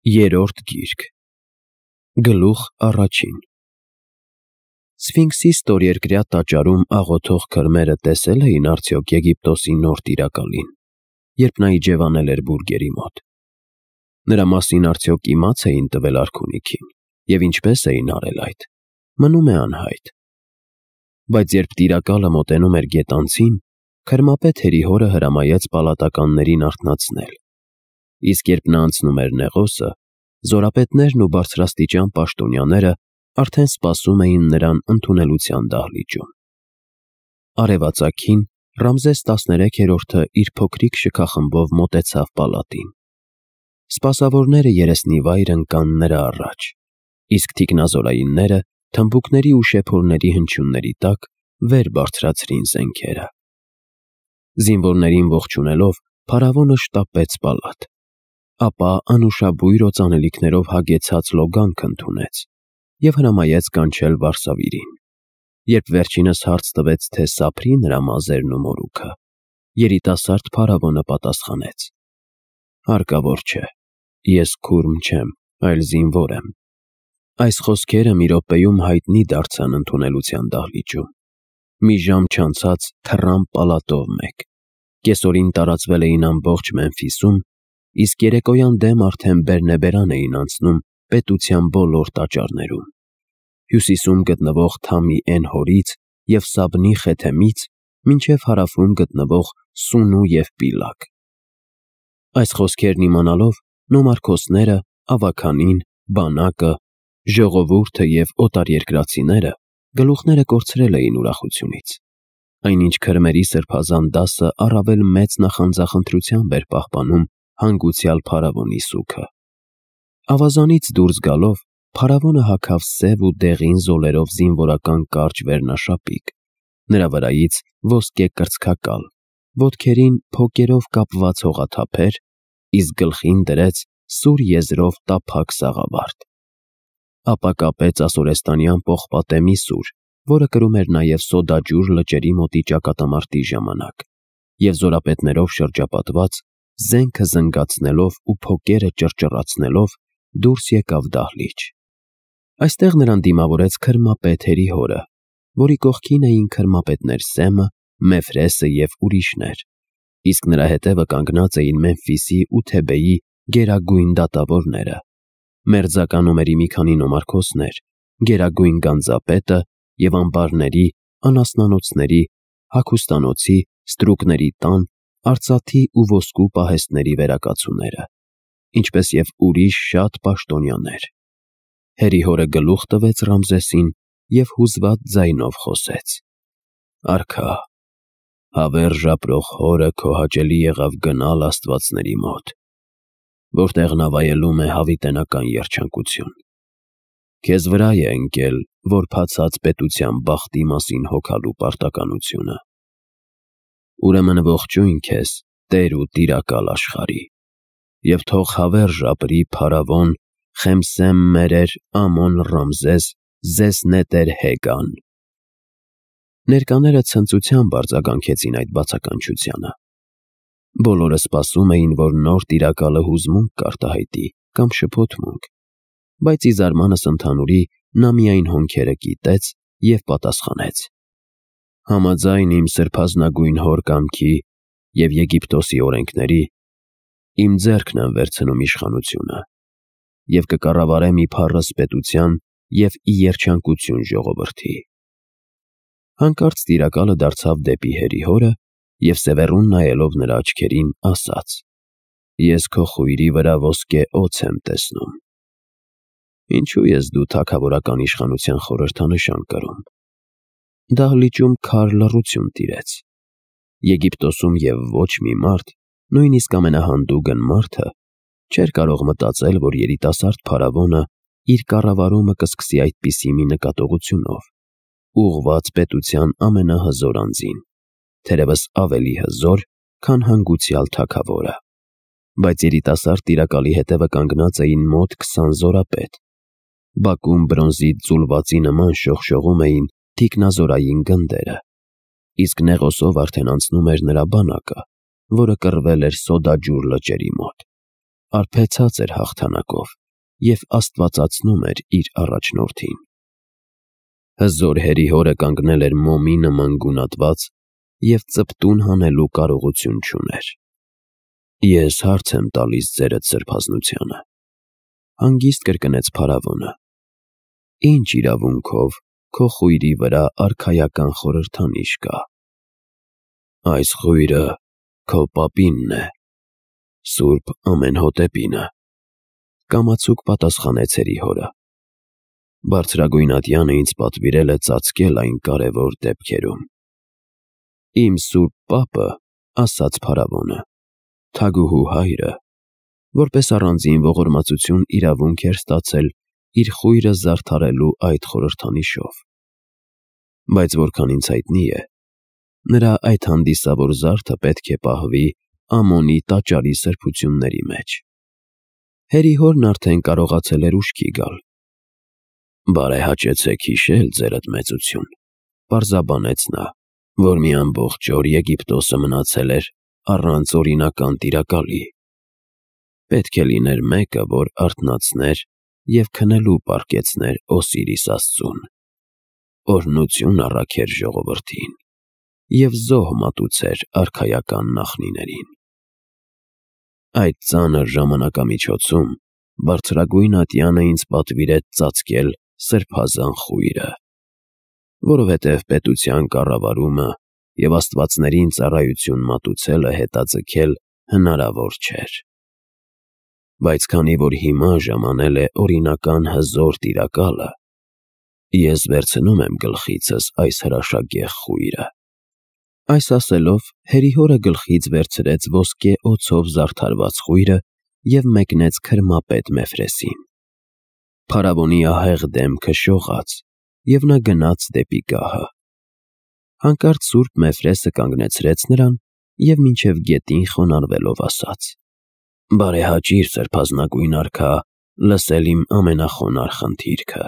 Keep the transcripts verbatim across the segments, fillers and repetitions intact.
Երրորդ գիրք, գլուխ առաջին։ Սֆինքսի ստորերկրյա տաճարում աղոթող քրմերը տեսել էին արդյոք Եգիպտոսի նոր տիրակալին, երբ նա իջևանել էր բուրգերի մոտ։ Նրա մասին արդյոք իմաց էին տվել արքունիքին, և ինչպես էին արել այդ, մնում է անհայտ։ Բայց երբ տիրակալը մոտենում էր գետանցին, քրմապետ Հերիհորը հրամայեց պալատականներին արթնացնել, իսկ երբ նա անցնում էր Նեղոսը, զորապետներն ու բարձրաստիճան պաշտոնյաները արդեն սպասում էին նրան ընդունելության դահլիճում։ Արևածագին Ռամզես տասներեքերորդը իր փոքրիկ շքախմբով մոտեցավ պալատին։ Սպասավորները երեսնիվայր ընկան նրա առաջ, իսկ թիկնազորայինները թմբուկների ու շեփորների հնչյունների տակ վեր բարձրացրին զենքերը։ Զինվորներին ողջունելով, փարավոնը շտապեց պալատ, ապա անուշաբույր օծանելիքներով հագեցած լոգանք ընդունեց և հրամայեց կանչել վարսավիրին։ Երբ վերջինս հարց տվեց, թե սափրի նրա մազերն ու մորուքը, երիտասարդ փարավոնը պատասխանեց. «Հարկավոր չէ, ես քուրմ չեմ, այլ զինվոր եմ»։ Այս խոսքերը մի րոպեում հայտնի դարձան ընդունելության դահլիճում։ Մի ժամ չանցած թռան պալատով մեկ։ Կեսօրին տարածվել էին ամբողջ Մեմֆիսում, իսկ երեկոյան դեմ արդեն բերնեբերան էին անցնում պետության բոլոր տաճարներում։ Հյուսիսում գտնվող Թամի Էն-Հորից և Սաբնի Խեթեմից մինչև հարավում գտնվող Սունու և Պիլակ։ Այս խոսքերն իմանալով, նոմարքոսները, ավագանին, բանակը, ժողովուրդը և օտարերկրացիները գլուխները կորցրել էին ուրախությունից, այնինչ քրմերի սրբազան դասը առավել մեծ նախանձախնդրությամբ էր պահպանում հանգուցյալ փարավոնի սուգը։ Ավազանից դուրս գալով, փարավոնը հագավ սև ու դեղին զոլերով զինվորական կարճ վերնաշապիկ, նրա վրայից ոսկե կրծքակալ, ոտքերին փոկերով կապված հողաթափեր, իսկ գլխին դրեց սուր եզրով տափակ սաղավարտ։ Ապա կապեց ասորեստանյան պողպատե մի սուր, որը կրում էր նաև Սոդաջուր լճերի մոտի ճակատամարտի ժամանակ, և զորապետներով շրջապատված, զենքը զնգացնելով ու փոկերը ճռճռացնելով, դուրս եկավ դահլիճ։ Այստեղ նրան դիմավորեց քրմապետ Հերիհորը, որի կողքին էին քրմապետներ Սեմը, Մեֆրեսը և ուրիշներ, իսկ նրա հետևը կանգնած էին Մեմֆիսի ու Թեբեի գերագույն դատավորները, մերձակա նոմերի մի քանի նոմարքոսներ, գերագույն գանձապետը և ամբարների, անասնանոցների, հագուստանոցի, ստրուկների տան, արծաթի ու ոսկու պահեստների վերակացուները, ինչպես և ուրիշ շատ պաշտոնյաներ։ Հերիհորը գլուխ տվեց Ռամզեսին և հուզված ձայնով խոսեց. «Արքա, հավերժ ապրող հորը քո հաճելի եղավ գնալ աստվածների մոտ, որտեղ նա վայելում է հավիտենական երջանկություն։ Քեզ վրա է ընկել որբացած պետության բախտի մասին հոգալու պարտականությունը։ Ուրեմն ողջույն քեզ, տեր ու տիրակալ աշխարհի, և թող հավերժ ապրի փարավոն Խեմսեմ Մերեր Ամոն Ռամզես Զեսնետեր Հեգան»։ Ներկաները ցնծությամբ արձագանքեցին այդ բացականչությանը։ Բոլորը սպասում էին, որ նոր տիրակալը հուզմունք կարտահայտի կամ շփոթմունք, բայց ի զարմանս ընդհանուրի նա միայն հոնքերը կիտեց և պատասխանեց. «Համաձայն իմ սրբազնագույն հոր կամքի և Եգիպտոսի օրենքների, իմ ձեռքն եմ վերցնում իշխանությունը և կկառավարեմ իբառս պետության և ի երջանկություն ժողովրդի»։ Հանկարծ տիրակալը դարձավ դեպի Հերիհորը և սևեռուն նայելով նրա աչքերին, ասաց. «Ես քո խույրի վրա ոսկե օձ եմ տեսնում։ Ինչո՞ւ ես դու թագավորական իշխանության խորհրդանշան կրում»։ Դահլիճում քար լռություն տիրեց։ Եգիպտոսում և ոչ մի մարդ, նույնիսկ ամենահանդուգն մարդը, չէր կարող մտածել, որ երիտասարդ փարավոնը իր կառավարումը կսկսի այդպիսի մի նկատողությունով, ուղղված պետության ամենահզոր անձին, թերևս ավելի հզոր, քան հանգուցյալ թագավորը։ Բայց երիտասարդ տիրակալի հետևը կանգնած էին մոտ քսան զորապետ։ Բակում բրոնզից ձուլվածի նման շողշողում էին թիկնազորային գնդերը, իսկ Նեղոսով արդեն անցնում էր նրա բանակը, որը կռվել էր Սոդաջուր լճերի մոտ։ արբեցած էր հաղթանակով և աստվածացնում էր իր առաջնորդին։ Հզոր հերիհորը կանգնել էր մոմի նման գունատված և ծպտուն հանելու կարողություն չուներ։ «Ես հարց եմ տալիս ձերդ սրբազնությանը», հանգիստ կրկնեց փարավոնը։ «Ինչ իրավունքով քո խույրի վրա արքայական խորհրդանիշ կա»։ «Այս խույրը քո պապինն է, Սուրբ Ամենհոտեպինը», կամացուկ պատասխանեց հերիհորը։ «Բարձրագույն ատյանը ինձ պատվիրել է ծածկել այն կարևոր դեպքերում»։ «Իմ սուրբ պապը, — ասաց փարավոնը, — թագուհու հայրը, որպես առանձին ողորմածություն իրավունք էր ստացել իր խույրը զարդարելու այդ խորհրդանիշով։ Բայց որքան ինձ հայտնի է, նրա այդ հանդիսավոր զարդը պետք է պահվի Ամոնի տաճարի սրբությունների մեջ»։ Հերիհորն արդեն կարողացել էր ուշքի գալ։ «Բարեհաճեցեք հիշել, ձերդ մեծություն, — պարզաբանեց նա, — որ մի ամբողջ օր Եգիպտոսը մնացել էր առանց օրինական տիրակալի։ Պետք է լիներ մեկը, որ արթնացներ և քնելու պառկեցներ Օսիրիս աստծուն, օրհնություն առաքեր ժողովրդին և զոհ մատուցեր արքայական նախնիներին։ Այդ ծանր ժամանակամիջոցում բարձրագույն ատյանը ինձ պատվիրեց ծածկել սրբազան խույրը, որովհետև պետության կառավարումը և աստվածներին ծառայություն մատուցելը հետաձգել հնարավոր չէր։ Բայց քանի որ հիմա ժամանել է օրինական հզոր տիրակալը, ես վերցնում եմ գլխիցս այս հրաշագեղ խույրը»։ Այս ասելով հերիհորը գլխից վերցրեց ոսկե օձով զարդարված խույրը և մեկնեց քրմապետ Մефրեսին։ Փարավոնի ահեղ դեմքը շողաց, և նա գնաց դեպի գահը։ Հանկարծ սուրբ Մефրեսը կանգնեցրեց նրան և մինչև գետին խոնարհվելով ասաց. «Բարեհաճիր, սրբազնագույն արքա, լսել իմ ամենախոնարհ խնդիրքը»։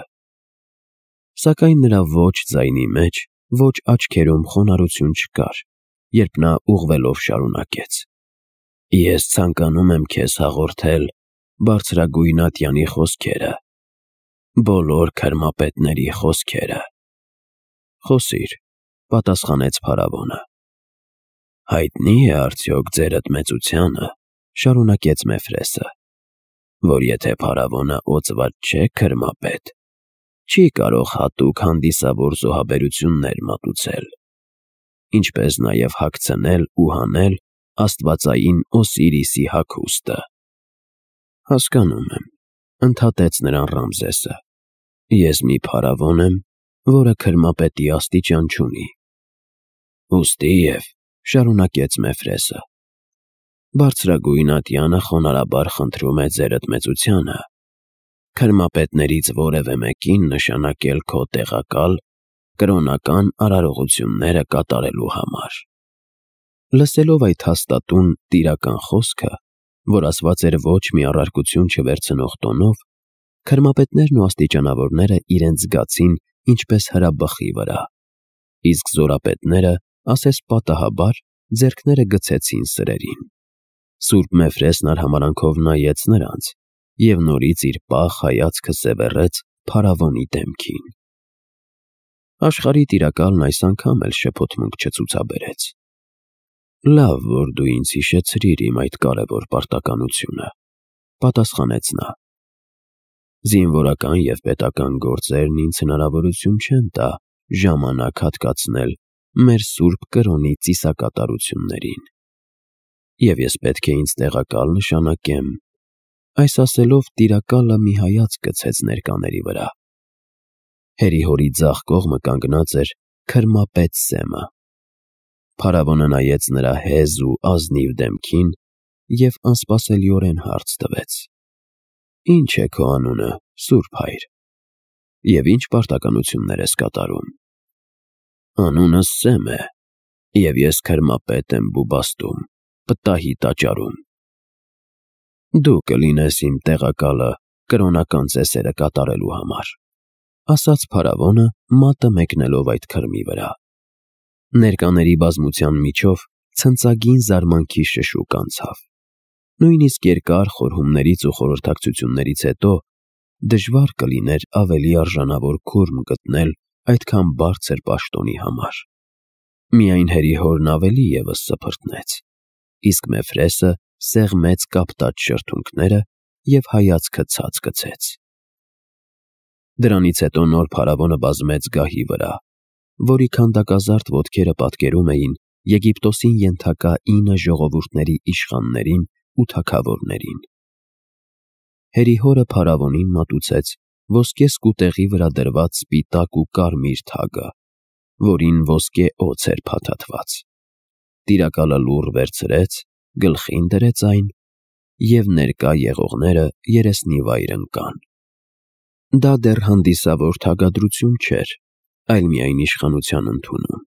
Սակայն նրա ոչ ձայնի մեջ, ոչ աչքերում խոնարհություն չկար, երբ նա ուղղվելով շարունակեց. «Ես ցանկանում եմ քեզ հաղորդել բարձրագույն ատյանի խոսքերը, բոլոր քրմապետների խոսքերը»։ «Խոսիր», — պատասխանեց փարավոնը։ «Հայտնի է արդյոք ձերդ մեծությանը, — շարունակեց Մефրեսը, — որ եթե փարավոնը օծված չէ քրմապետ, չի կարող հատուկ հանդիսավոր զոհաբերություններ մատուցել, ինչպես նաև հագցնել ու հանել աստվածային Օսիրիսի հագուստը»։ «Հասկանում եմ, — ընդհատեց նրան Ռամզեսը, — ես մի փարավոն եմ, որը քրմապետի աստիճան չունի։ Ուստիև, — շարունակեց Մефրեսը, — բարձրագույն ատյանը խոնարհաբար խնդրում է ձերդ մեծությանը քրմապետներից որևէ մեկին նշանակել քո տեղակալ կրոնական արարողությունները կատարելու համար»։ Լսելով այդ հաստատուն տիրական խոսքը, որ ասված էր ոչ մի առարկություն չվերցնող տոնով, քրմապետներն ու աստիճանավորները իրենց զգացին ինչպես հրաբխի վրա, իսկ զորապետները, ասես պատահաբար, ձեռքները գցեցին սրերին։ Սուրբ Մефրեսն արհամարհանքով նայեց նրանց և նորից իր պաղ հայացքը սևեռեց փարավոնի դեմքին։ Աշխարհի տիրակալն այս անգամ էլ շփոթմունք չցուցաբերեց։ «Լավ, որ դու ինձ հիշեցրիր իմ այդ կարևոր պարտականությունը», — պատասխանեց նա։ «Զինվորական և պետական գործերն ինձ հնարավորություն չեն տա ժամանակ հատկացնել մեր սուրբ կրոնի ծիսակատարություններին, և ես պետք է ինձ տեղակալ նշանակեմ»։ Այս ասելով տիրակալը մի հայացք գցեց ներկաների վրա։ Հերիհորի ձախ կողմը կանգնած էր քրմապետ Սեմը։ Փարավոնը նայեց նրա հեզ ու ազնիվ դեմքին և անսպասելիորեն հարց տվեց. «Ի՞նչ է քո անունը, սուրբ հայր, և ի՞նչ պարտականություններ ես կատարում»։ «Անունս Սեմ է, և ես քրմապետ եմ Բուբաստում, Պտահի տաճարում»։ «Դու կլինես իմ տեղակալը կրոնական ծեսերը կատարելու համար», — ասաց փարավոնը, մատը մեկնելով այդ քրմի վրա։ Ներկաների բազմության միջով ցնծագին զարմանքի շշուկ անցավ։ Նույնիսկ երկար խորհումներից ու խորհրդակցություններից հետո դժվար կլիներ ավելի արժանավոր քուրմ գտնել այդքան բարձր պաշտոնի համար։ Միայն հերիհորն ավելի ևս սփռտնեց, իսկ Մեֆրեսը սեղմեց կապտած շրթունքները և հայացքը ցած գցեց։ Դրանից հետո նոր փարավոնը բազմեց գահի վրա, որի քանդակազարդ ոտքերը պատկերում էին Եգիպտոսին ենթակա ինը ժողովուրդների իշխաններին ու թագավորներին։ Հերիհորը փարավոնին մատուցեց ոսկե սկուտեղի վրա դրված սպիտակ ու կարմիր թագը, որին ոսկե օձ էր փաթաթված։ Տիրակալը լուռ վերցրեց, գլխին դրեց այն, և ներկա եղողները երեսնիվայր ընկան։ Դա դեռ հանդիսավոր թագադրություն չէր, այլ միայն իշխանության ընդունում։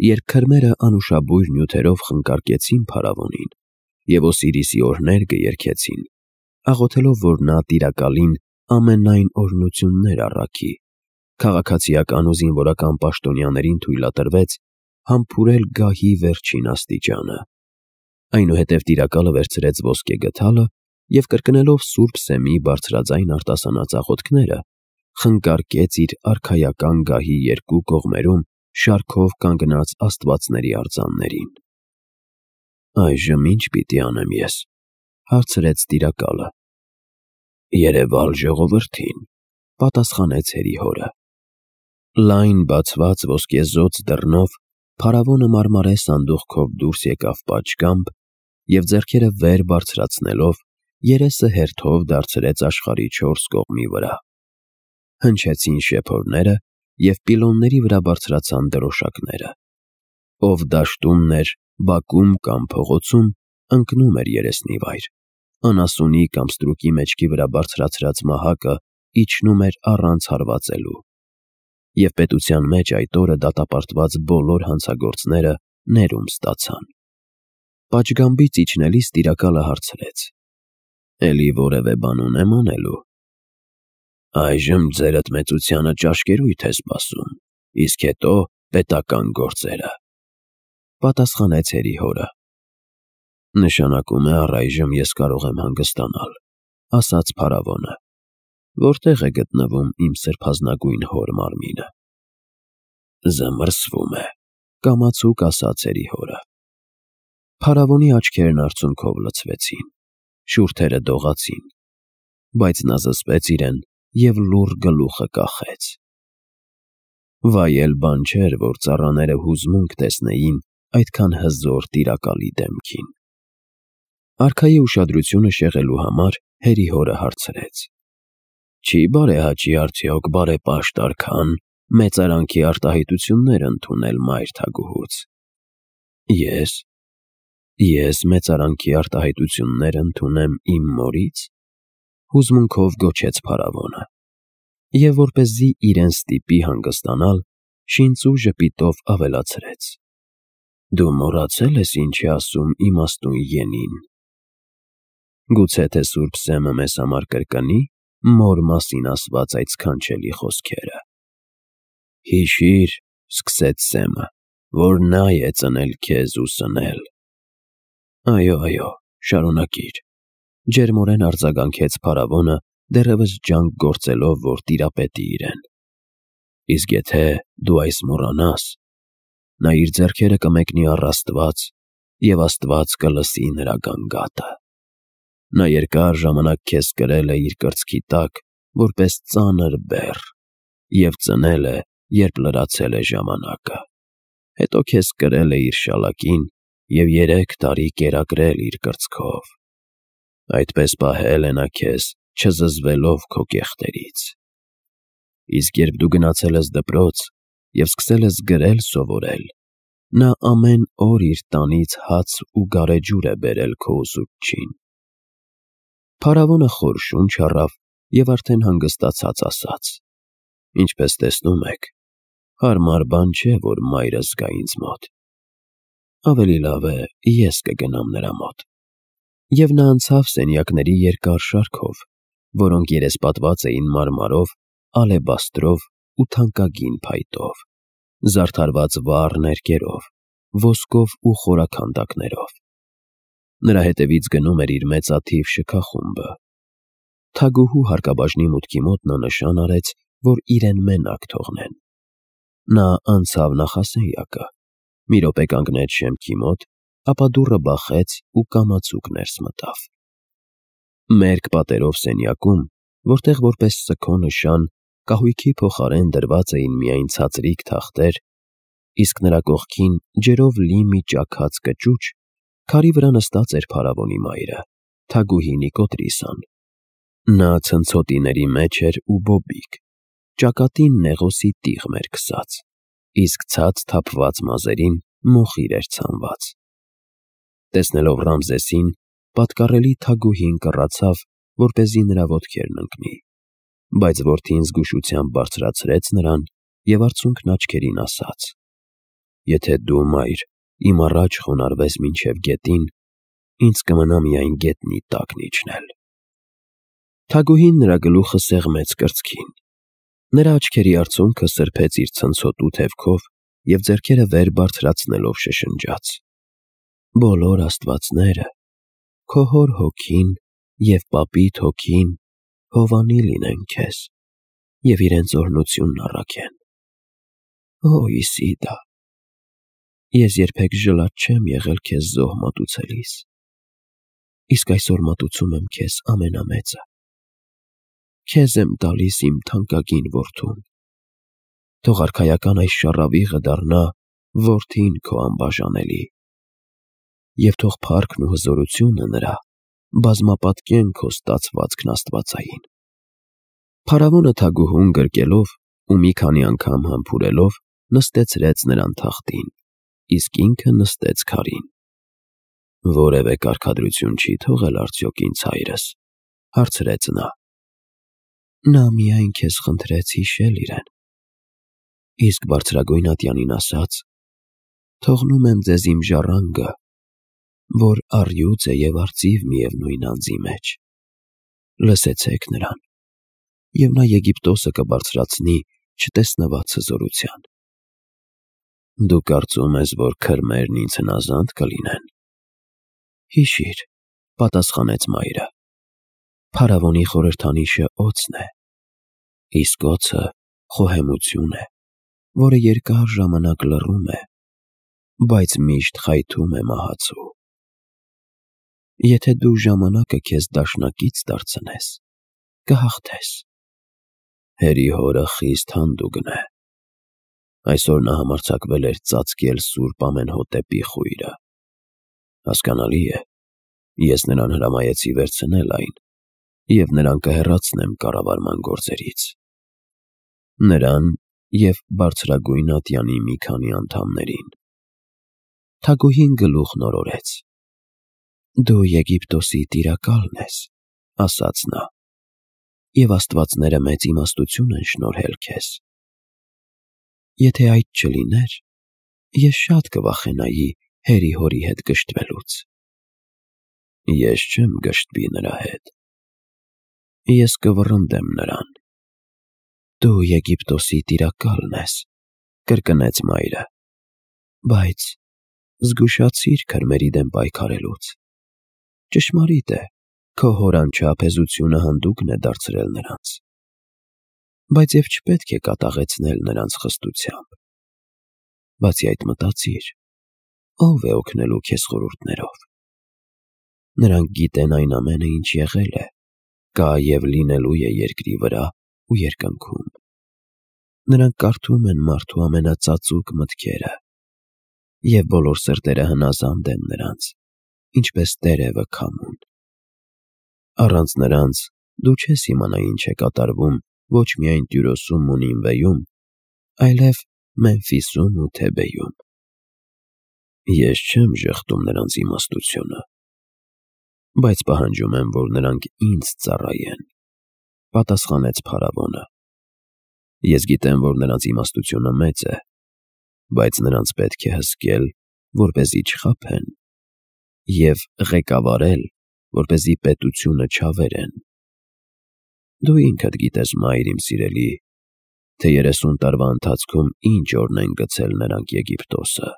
Երբ քրմերը անուշաբույր նյութերով խնկարկեցին փարավոնին և Օսիրիսի օրհներգը երգեցին, աղոթելով, որ նա տիրակալին ամենայն օրհնություններ առաքի, քաղաքացիական ու զինվորական պաշտոնյաներին թույլատրվեց համբուրել գահի վերջին աստիճանը։ Այնուհետև տիրակալը վերցրեց ոսկե գդալը և կրկնելով Սուրբ Սեմի բարձրաձայն արտասանած աղոթքները, խնկարկեց իր արքայական գահի երկու կողմերում շարքով կանգնած աստվածների արձաններին։ «Այժմ ի՞նչ պիտի անեմ ես», հարցրեց տիրակալը։ «Երևալ ժողովրդին», պատասխանեց հերիհորը։ Լայն բացված ոսկեզօծ դռնով փարավոնը մարմարե սանդուղքով դուրս եկավ պատշգամբ և ձեռքերը վեր բարձրացնելով երեսը հերթով դարձրեց աշխարհի չորս կողմի վրա։ Հնչեցին շեփորները և պիլոնների վրա բարձրացան դրոշակները։ Ով դաշտումն էր, բակում կամ փողոցում, ընկնում էր երեսնիվայր, անասունի կամ ստրուկի մեջքի վրա բարձրացրած մահակը իջնում էր առանց հարվածելու։ Եվ պետության մեջ այդ օրը դատապարտված բոլոր հանցագործները ներում ստացան։ Պատշգամբից իջնելիս տիրակալը հարցրեց. «Էլի որևէ բան ունեմ անելու»։ «Այժմ ձերդ մեծությանը ճաշկերույթ է սպասում, իսկ հետո պետական գործերը», պատասխանեց հերիհորը։ «Նշանակում է առայժմ ես կարող եմ հանգստանալ», ասաց փարավոնը։ «Որտե՞ղ է գտնվում իմ սրբազնագույն հոր մարմինը»։ «Զմռսվում է», կամացուկ ասաց հերիհորը։ Փարավոնի աչքերն արցունքով լցվեցին, շուրթերը դողացին, բայց նա զսպեց իրեն և լուռ գլուխը կախեց։ Վայել բան չէր, որ ծառաները հուզմունք տեսնեին այդքան հզոր տիրակալի դեմքին։ Արքայի ուշադրությունը շեղելու համար հերիհորը հարցրեց. «Չի բարեհաճի արդյոք բարեպաշտ արքան մեծարանքի արտահայտություններ ընդունել մայր թագուհուց»։ «Ես… ես մեծարանքի արտահայտություններ ընդունեմ իմ մորից»։ Հուզմունքով գոչեց փարավոնը։ Եվ որպեսզի իրեն ստիպի հանգստանալ, շինծու ժպիտով ավելացրեց. «Դու մոռացել ես ինչ է ասում իմաստուն Ենին. գուցե թե Սուրբ Սեմը մեզ համար կրկնի մոր մասին ասված այդ սքանչելի խոսքերը. «Հիշիր, — սկսեց Սեմը, — որ նա է ծնել քեզ ու սնել»։ «Այո, այո, շարունակիր», — ջերմորեն արձագանքեց փարավոնը, դեռևս ջանք գործելով, որ տիրապետի իրեն։ «Իսկ եթե դու այս մոռանաս, նա իր ձեռքերը կմեկնի առ Աստված, և Աստված կլսի նրա գանգատը։ Նա երկար ժամանակ քեզ կրել է իր կրծքի տակ որպես ծանր բեռ և ծնել է, երբ լրացել է ժամանակը։ Հետո քեզ կրել է իր շալակին և երեք տարի կերակրել իր կրծքով։ Այդպես պահել է նա քեզ, չզզվելով քո կեղտերից։ Իսկ երբ դու գնացել ես դպրոց և սկսել ես գրել սովորել, նա ամեն օր իր տանից հաց ու գարեջուր է բերել քո ուսուցչին»։ Փարավոնը խոր շունչ առավ և արդեն հանգստացած ասաց. «Ինչպես տեսնում եք, հարմար բան չէ, որ մայրս գա ինձ մոտ։ Ավելի լավ է ես կգնամ նրա մոտ»։ Եվ նա անցավ սենյակների երկար շարքով, որոնք երեսպատված էին մարմարով, ալեբաստրով ու թանկագին փայտով, զարդարված վառ ներկերով, ոսկով ու խորաքանդակներով։ Նրա հետևից գնում էր իր մեծաթիվ շքախումբը։ Թագուհու հարկաբաժնի մուտքի մոտ նա նշան արեց, որ իրեն մենակ թողնեն։ Նա անցավ նախասենյակը, մի րոպե կանգնեց շեմքի մոտ, ապա դուռը բախեց ու կամացուկ ներս մտավ։ Մերկ պատերով սենյակում, որտեղ որպես սգո նշան կահույքի փոխարեն դրված էին միայն ցածրիկ թախտեր, իսկ նրա կողքին ջերով լի մի ճաքած կճուճ, քարի վրա նստած էր փարավոնի մայրը, թագուհի Նիկոտրիսան։ Նա ցնցոտիների մեջ էր ու բոբիկ, ճակատին նեղոսի տիղմ էր քսած, իսկ ցած թափված մազերին մոխիր էր ցանված։ Տեսնելով Ռամզեսին, պատկառելի թագուհին կռացավ, որպեսզի նրա ոտքերն ընկնի, բայց որդին զգուշությամբ բարձրացրեց նրան և արցունքն աչքերին ասաց. «Եթե դու, մայր, իմ առաջ խոնարհվես մինչև գետին, ինձ կմնա միայն գետնի տակն իջնել»։ Թագուհին նրա գլուխը սեղմեց կրծքին։ Նրա աչքերի արցունքը սրբեց իր ցնցոտու թևքով և ձեռքերը վեր բարձրացնելով շշնջաց. «Բոլոր աստվածները, քո հոր հոգին և պապիդ հոգին հովանի լինեն քեզ և իրենց օրհնությունն առաքեն։ Ո Իսիդա, ես երբեք ժլատ չեմ եղել քեզ զոհ մատուցելիս, իսկ այսօր մատուցում եմ քեզ ամենամեծը։ Քեզ եմ տալիս իմ թանկագին որդուն։ Թող արքայական այս շառավիղը դառնա որդին քո անբաժանելի, և թող փառքն ու հզորությունը նրա բազմապատկեն քո ստացվածքն աստվածային»։ Փարավոնը թագուհուն գրկելով ու մի քանի անգամ համբուրելով նստեցրեց նրան թախտին, իսկ ինքը նստեց քարին։ «Որևէ կարգադրություն չի թողել արդյոք ինձ հայրս»։ հարցրեց նա։ «Նա միայն քեզ խնդրեց հիշել իրեն, իսկ բարձրագույն ատյանին ասաց. թողնում եմ ձեզ իմ ժառանգը, որ առյուծ է և արծիվ միևնույն անձի մեջ։ Լսեցեք նրան, և նա Եգիպտոսը կբարձրացնի չտեսնված հզորության»։ «Դու կարծում ես, որ քրմերն ինձ հնազանդ կլինեն»։ «Հիշիր», պատասխանեց մայրը, «փարավոնի խորհրդանիշը օձն է, իսկ օձը խոհեմություն է, որը երկար ժամանակ լռում է, բայց միշտ խայթում է մահացու։ Եթե դու ժամանակը քեզ դաշնակից դարձնես, կհաղթես։ Հերի հորը խիստ հանդուգն է։ Այսօր նա համարձակվել էր ծածկել Սուրբ Ամենհոտեպի խույրը։ Հասկանալի է, ես նրան հրամայեցի վերցնել այն և նրան կհեռացնեմ կառավարման գործերից։ Նրան և բարձրագույն ատյանի մի քանի անդամներին»։ Թագուհին գլուխն օրորեց։ «Դու Եգիպտոսի տիրակալն ես», ասաց նա, «և աստվածները մեծ իմաստություն են շնորհել քեզ։ Եթե այդ չլիներ, ես շատ կվախենայի հերի հորի հետ գժտվելուց»։ «Ես չեմ գժտվի նրա հետ, ես կվռնդեմ նրան»։ «Դու Եգիպտոսի տիրակալն ես», կրկնեց մայրը, «բայց զգուշացիր քրմերի դեմ պայքարելուց։ Ճշմարիտ է, քո հոր անչափահեզությունը հանդուգն է դարձրել նրանց, բայց և չպետք է կատաղեցնել նրանց խստությամբ։ Բացի այդ մտածիր, ո՞վ է օգնելու քեզ խորհուրդներով։ Նրանք գիտեն այն ամենը, ինչ եղել է, կա և լինելու է երկրի վրա ու երկնքում։ Նրանք կարդում են մարդու ամենածածուկ մտքերը, և բոլոր սրտերը հնազանդ են նրանց, ինչպես տերևը քամուն։ Առանց նրանց դու չես իմանա ինչ է կատարվում ոչ միայն Տյուրոսում ու Նինվեում, այլև Մեմֆիսում ու Թեբեյում։ Ես չեմ ժխտում նրանց իմաստությունը, բայց պահանջում եմ, որ նրանք ինձ ծառայեն», պատասխանեց փարավոնը։ «Ես գիտեմ, որ նրանց իմաստությունը մեծ է, բայց նրանց պետք է հսկել, որպեսզի չխաբեն, և ղեկավարել, որպեսզի պետությունը չավերեն։ Դու ինքդ գիտես, մայր իմ սիրելի, թե երեսուն տարվա ընթացքում ինչ օրն են գցել նրանք Եգիպտոսը։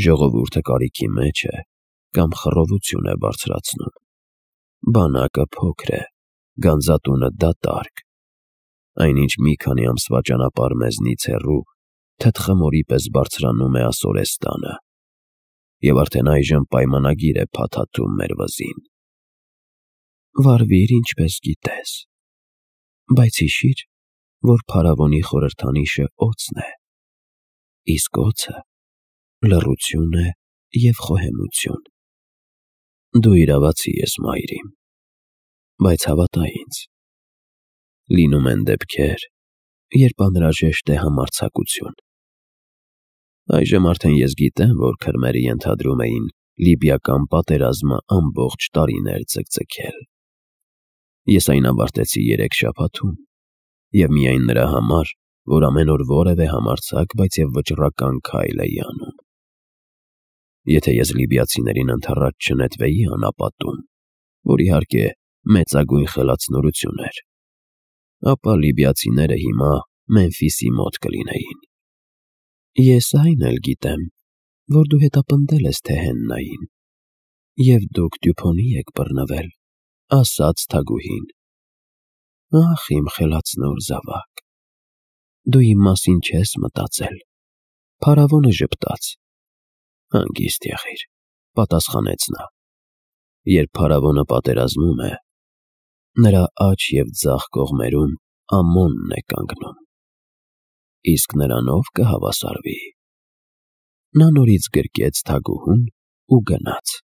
Ժողովուրդը կարիքի մեջ է, կամ խռովություն է բարձրացնում։ Բանակը փոքր է, գանձատունը դատարկ, այնինչ մի քանի ամսվա ճանապարհ մեզնից հեռու թթխմորի պես բարձրանում է Ասորեստանը, և արդեն այժմ պայմանագիր է փաթաթում մեր վզին։ Վարվիր ինչպես գիտես, բայց հիշիր, որ փարավոնի խորհրդանիշը օձն է, իսկ օձը լռություն է և խոհեմություն։ Դու իրավացի ես, մայրիկ, բայց հավատա ինձ, լինում են դեպքեր, երբ անհրաժեշտ է համարձակություն։ Այժմ արդեն ես գիտեմ, որ քրմերը ենթադրում էին լիբիական պատերազմը ամբողջ տարիներ ձգձգել։ Ես այն ավարտեցի երեք շաբաթում, և միայն նրա համար, որ ամեն օր որևէ համարձակ, բայց և վճռական քայլ էի անում։ Եթե ես լիբիացիներին ընդառաջ չնետվեի անապատում, որ իհարկե մեծագույն խելացնորություն էր, ապա լիբիացիները հիմա Մեմֆիսի մոտ կլինեին։ Ես այն էլ գիտեմ, որ դու հետապնդել ես Թեհեննային, և դուք Դյուփոնի եք բռնվել, ասաց թագուհին։ Ախ, իմ խելացնոր զավակ, դու իմ մասին չես մտածել, փարավոնը ժպտաց։ Հանգիստ եղիր, պատասխանեց նա, երբ փարավոնը պատերազմում է, նրա աջ և ձախ կողմերում Ամոնն է կանգնում, իսկ նրանով կհավասարվի։ Նա նորից գրկեց թագուհուն ու գնաց։